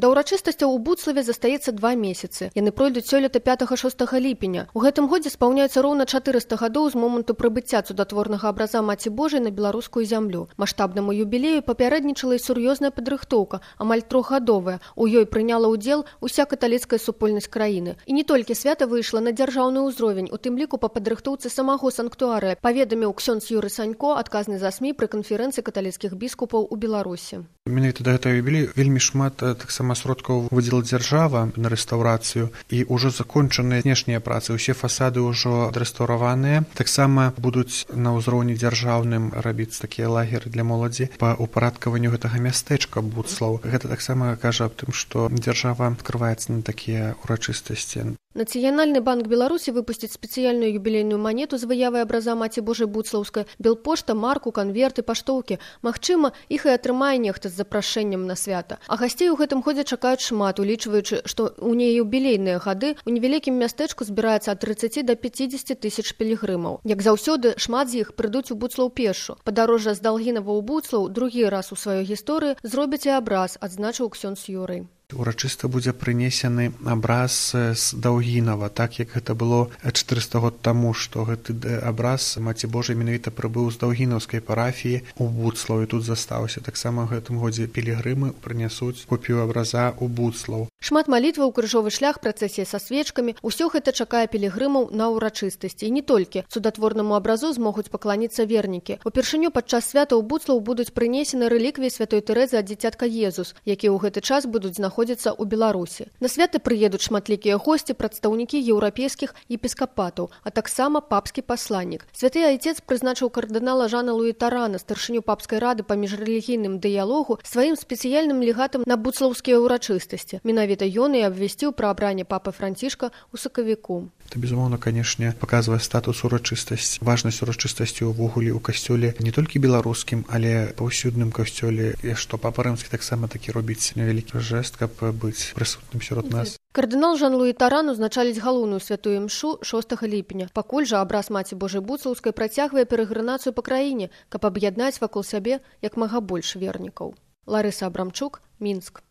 Да ўрачыстасцяў у Буцлаве застаецца 2 месяцы. Яны пройдуць сёлета 5-6 ліпеня. У гэтым годзе спаўняецца роўна 400 гадоў з моманту прыбыцця цудатворнага абраза Маці Божай на беларускую зямлю. Маштабнаму юбілею папярэднічала і сур'ёзная падрыхтоўка, амаль 3-гадовая. У ёй прыняла ўдзел уся каталіцкая супольнасць краіны. І не толькі свята выйшла на дзяржаўны ўзровень, у тым ліку па падрыхтоўцы самого санктуарыя, паведаміў ксёндз Юрый Санько, адказны за СМІ пры канферэнцыі каталіцкіх біскупаў у Беларусі. Менавіта да гэтага юбілею вельмі шмат таксама сродкаў выдзела дзяржава на рэстаўрацыю і ўжо закончаныя знешнія працы, усе фасады ўжо адрэстаўраваныя. Таксама будуць на ўзроўні дзяржаўным рабіць такія лагеры для моладзі па ўпарадкаванню гэтага мястэчка Буцлаў. Гэта таксама кажа аб тым, што дзяржава адкрываецца на такія ўрачыстасці. Нацыянальны банк Беларусі выпусціць спецыяльную юбілейную манету з выявай абраза Маці Божай Буцлаўскай, белпошта, марку, канверты, паштоўкі. Магчыма, іх і атрымае нехта з запрашэннем на свята. А гасцей у гэтым годзе чакаюць шмат, улічваючы, што ў неюбілейныя гады у невялікім мястэчку збіраецца ад 30 да 50 тысяч пілігрымаў. Як заўсёды, шмат з іх прыйдуць у Буцлаў пешшу. Падарожжа з Далгінава ў Буцлаў другі раз у сваёй гісторыі зробяць і абраз, адзначыў ксёндз Юрый. Урачыста будзе прынесены абраз з Даўгінава, так як гэта было 400 год таму, што гэты абраз Маці Божай менавіта прыбыў з Даўгінаўскай парафіі у Буцлаў і тут застаўся. Таксама ў гэтым годзе пілігрымы прынясуць копію абраза ў Буцлаў. Шмат малітваў, крыжовы шлях, працэсія са свечкамі – усё гэта чакае пілігрымаў на ўрачыстасці. І не толькі цудатворнаму абразу змогуць пакланіцца вернікі. Упершыню падчас свята ў Буцлаў будуць прынесены рэліквіі святой Тэрэзы ад дзіцятка Езус, якія ў гэты час будуць знаходзіцца ў Беларусі. На святы прыедуць шматлікія госці, прадстаўнікі еўрапейскіх епіскапатаў, а таксама папскі пасланнік. Святы айцец прызначыў кардынала Жана Луі Тарана, старшыню папскай рады па міжрэлігійным дыялогу, сваім спецыяльным легатам на буцлаўскія ўрачыстасці. Менавіта ён і абвясціў пра абранне папы Францішка ў сакавіку. Это, безумоўна, канешне, паказвае статус урачыстасці, важнасць урачыстасці ўвогуле ў касцёле не толькі беларускім, але паўсюдным касцёле, і што папа рымскі таксама такі робіць невялікі жэст, каб быць прысутным сярод нас. Кардынал Жан Луі Таран узначаліць галоўную святую імшу 6 ліпеня. Пакуль жа абраз Маці Божай Буцлаўскай працягвае перагрынацыю па краіне, каб аб'яднаць вакол сябе як мага больш вернікаў. Ларыса Абрамчук, Мінск.